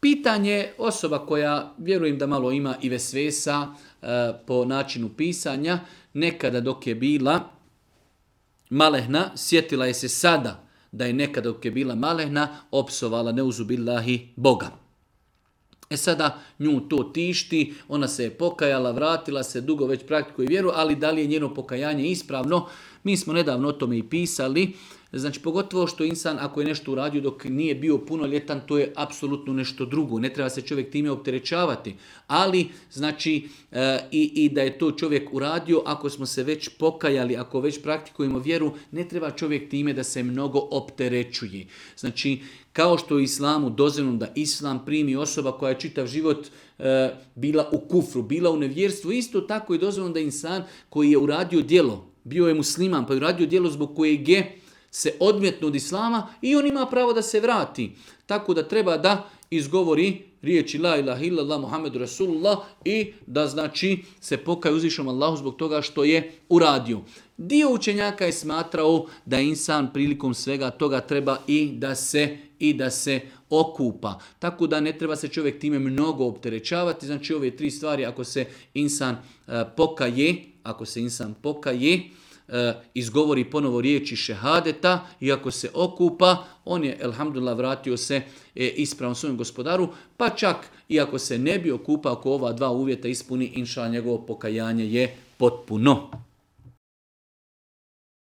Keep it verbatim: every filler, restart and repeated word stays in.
Pitanje osoba koja, vjerujem da malo ima i vesvesa e, po načinu pisanja, nekada dok je bila malehna, sjetila je se sada da je nekada dok je bila malehna, opsovala neuzubillahi Boga. E sada nju to tišti, ona se je pokajala, vratila se, dugo već praktikuje vjeru, ali da li je njeno pokajanje ispravno? Mi smo nedavno o tome i pisali. Znači, pogotovo što insan, ako je nešto uradio dok nije bio punoljetan, to je apsolutno nešto drugo. Ne treba se čovjek time opterećavati. Ali, znači, e, i, i da je to čovjek uradio, ako smo se već pokajali, ako već praktikujemo vjeru, ne treba čovjek time da se mnogo opterećuje. Znači, kao što je u islamu dozvoljeno da islam primi osoba koja je čitav život e, bila u kufru, bila u nevjerstvu, isto tako je dozvoljeno da insan koji je uradio djelo, bio je musliman, pa je uradio djelo zbog kojeg je se odmetno od islama i on ima pravo da se vrati. Tako da treba da izgovori riječi la ilaha illallah Muhammedu Rasulullah i da znači se pokaje uzvišenom Allahu zbog toga što je uradio. Dio učenjaka je smatrao da insan prilikom svega toga treba i da se i da se okupa. Tako da ne treba se čovjek time mnogo opterećavati. Znači ove tri stvari, ako se insan uh, pokaje, ako se insan pokaje, izgovori ponovo riječi šehadeta i ako se okupa, on je, elhamdulillah, vratio se ispravno svojem gospodaru, pa čak i ako se ne bi okupao, ako ova dva uvjeta ispuni, inša, njegovo pokajanje je potpuno.